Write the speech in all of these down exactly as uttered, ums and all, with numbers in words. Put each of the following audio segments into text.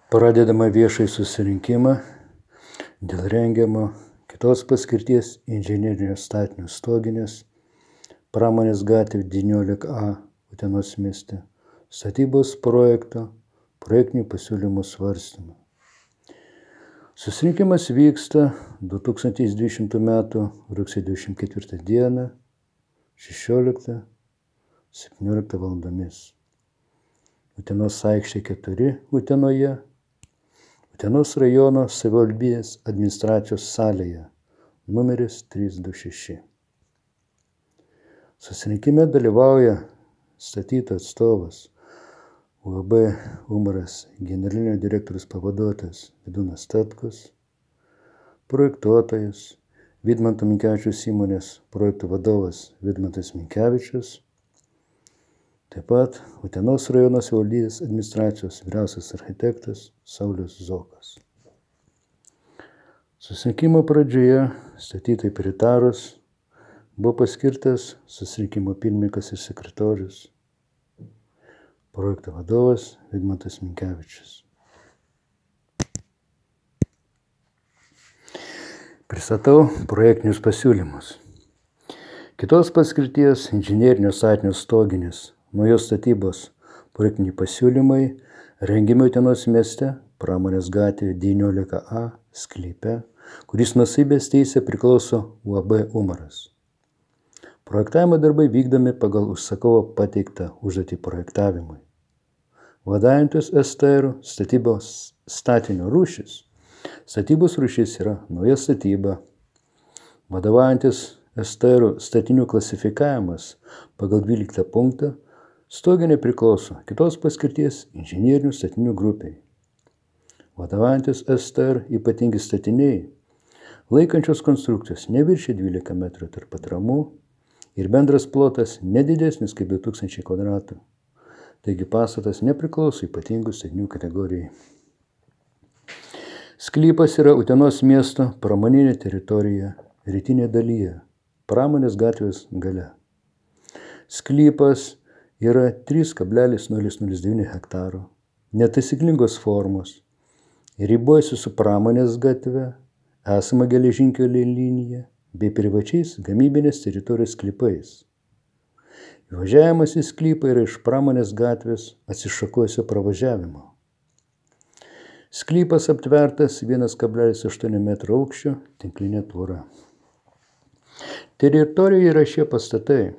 Pradedama viešai susirinkimą dėl rengiamo kitos paskirties inžinerinio statinio stoginės Pramonės gatvė devyniolika A Utenos mieste statybos projekto projektinių pasiūlymų svarstymą. Susirinkimas vyksta du tūkstančiai dvidešimtų metų rugsėjo dvidešimt ketvirtą dieną šešioliktą septynioliktą valandomis. Utenos aikštė keturi Utenoje, Utenos rajono savivaldybės administracijos salėje, numeris trys du šeši. Susirinkime dalyvauja statytojų atstovas U A B Umaras generalinio direktoriaus pavaduotojas Vidūnas Tatkus, projektuotojas Vidmanto Minkevičiaus įmonės projektų vadovas Vidmantas Minkevičius, taip pat Utenos rajono savivaldybės administracijos vyriausias architektas Saulius Zokas. Susirinkimo pradžioje statytojai pritarus buvo paskirtas susirinkimo pirmininkas ir sekretorius, projekto vadovas Vidmantas Minkevičius. Pristatau projektinius pasiūlymus. Kitos paskirties inžinerinio statinio stoginės naujos statybos projektiniai pasiūlymai rengiami Utenos mieste Pramonės gatvė devyniolika A sklype, kuris nuosavybės teisė priklauso U A B Umaras. Projektavimo darbai vykdomi pagal užsakovo pateiktą užduotį projektavimui. Vadovaujantis S T R statybos statinio rūšis. Statybos rūšis yra nauja statyba. Vadovaujantis S T R statinių klasifikavimas pagal dvyliktą punktą stoginė priklauso kitos paskirties inžinerinių statinių grupiai. Vadovaujantis S T R ypatingi statiniai, laikančios konstrukcijos neviršė dvylika metrų tarp atramų ir bendras plotas nedidesnis kaip du tūkstančiai kvadratų. Taigi pastatas nepriklauso ypatingų statinių kategorijai. Sklypas yra Utenos miesto pramoninė teritorija rytinėje dalyje, Pramonės gatvės gale. Sklypas yra trys kablelis nulis nulis devyni hektaro, netaisyklingos formos, ribojasi su Pramonės gatve, esama geležinkelio linija bei privačiais gamybinės teritorijos sklypais. Įvažiavimas į sklypą yra iš Pramonės gatvės atsišakojusio pravažiavimo. Sklypas aptvertas vienas kablelis aštuoni metro aukščio tinklinė tvora. Teritorijoje yra šie pastatai: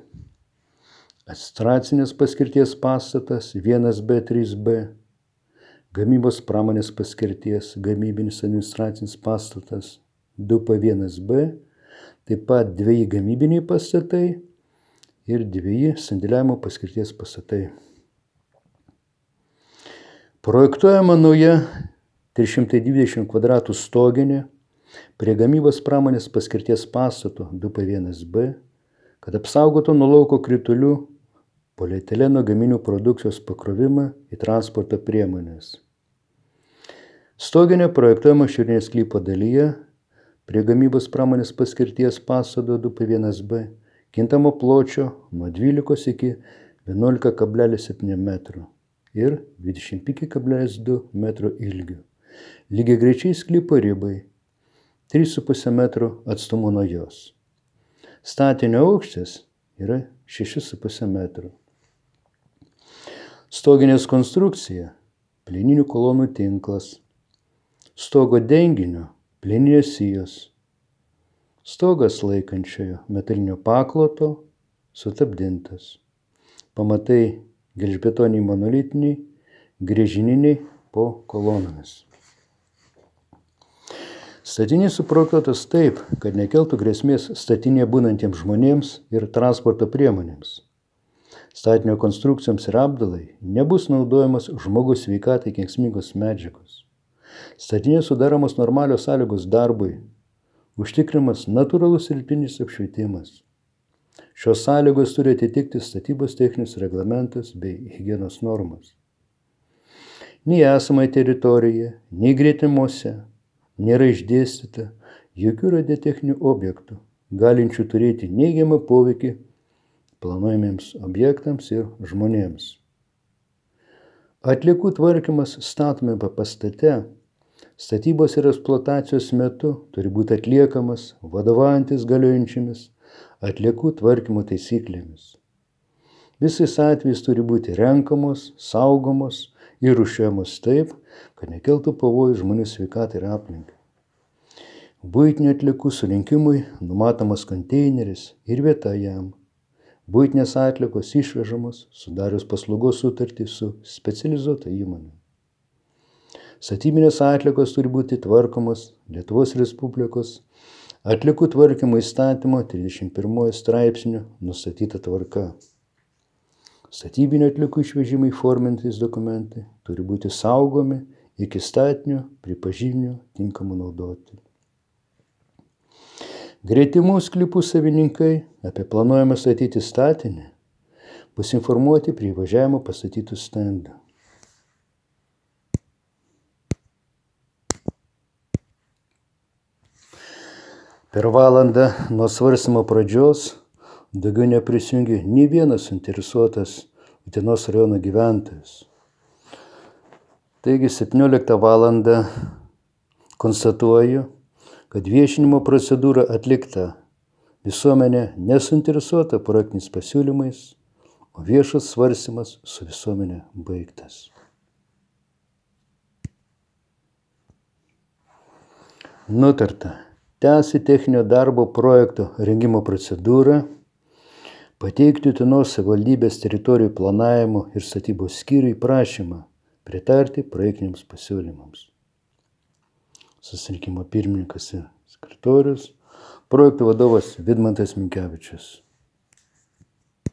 administracinės paskirties pastatas vienas B trys B, gamybos pramonės paskirties gamybinis administracinis pastatas du P vienas B, taip pat dveji gamybiniai pastatai ir dveji sandėliavimo paskirties pastatai. Projektuojama nauja trys šimtai dvidešimt kvadratų stoginė prie gamybos pramonės paskirties pastato du P vienas B, kad apsaugotų nuo lauko kritulių polietileno gaminių produkcijos pakrovimą į transporto priemonės. Stoginė projektuojama šiaurinės sklypo dalyje prie gamybos pramonės paskirties pastato du P vienas B, kintamo pločio nuo dvylikos iki vienuolika kablelis septyni metrų ir dvidešimt penki kablelis du metro ilgiu. Lygiagrečiai sklypo ribai trys su puse metro atstumu nuo jos. Statinio aukštis yra šeši su puse metro. Stoginės konstrukcija – plieninių kolonų tinklas. Stogo denginio – plieninės sijos. Stogas laikančiojo metalinio pakloto sutapdintas. Pamatai gelžbetoniai monolitiniai, grėžininiai po kolonomis. Statinys suprojektuotas taip, kad nekeltų grėsmės statinėje būnantiems žmonėms ir transporto priemonėms. Statinio konstrukcijoms ir apdalai nebus naudojamas žmogaus sveikatai kenksmingos medžiagos. Statinėje sudaromos normalios sąlygos darbui, užtikrinamas natūralus dirbtinis apšvietimas. Šios sąlygos turi atitikti statybos techninius reglamentus bei higienos normas. Nei esamai teritorijoje, nei gretimose nėra išdėstyta jokių radiotechninių objektų, galinčių turėti neigiamą poveikį planuojamiems objektams ir žmonėms. Atliekų tvarkymas statomame pastate, statybos ir eksploatacijos metu turi būti atliekamas vadovaujantis galiojančiomis atliekų tvarkymo taisyklėmis. Visais atvejais turi būti renkamos, saugomos ir rūšiuojamos taip, kad nekeltų pavojų žmonių sveikatai ir aplinkai. Buitinių atliekų surinkimui numatomas konteineris ir vieta jam. Buitinės atliekos išvežamos sudarius paslaugos sutartį su specializuota įmonė. Statybinės atliekos turi būti tvarkomos Lietuvos Respublikos atliekų tvarkymo įstatymo trisdešimt pirmojo straipsniu nustatyta tvarka. Statybinių atliekų išvežimai forminantys dokumentai turi būti saugomi iki statinio pripažinimo tinkamu naudoti. Gretimų sklypų savininkai apie planuojamą statyti statinį bus informuoti prie įvažiavimo pastatytų stendų. Per valandą nuo svarstymo pradžios daugiau neprisijungė nei vienas suinteresuotas Utenos rajono gyventojas. Taigi septynioliktą valandą konstatuoju, kad viešinimo procedūra atlikta, visuomenė nesuinteresuota projektiniais pasiūlymais, o viešas svarstymas su visuomenė baigtas. Nutarta tęsti techninio darbo projekto rengimo procedūrą, pateikti Utenos savivaldybės teritorijų planavimo ir statybos skyriui prašymą pritarti projektiniams pasiūlymams. Susirinkimo pirmininkas ir sekretorius, projektų vadovas Vidmantas Minkevičius.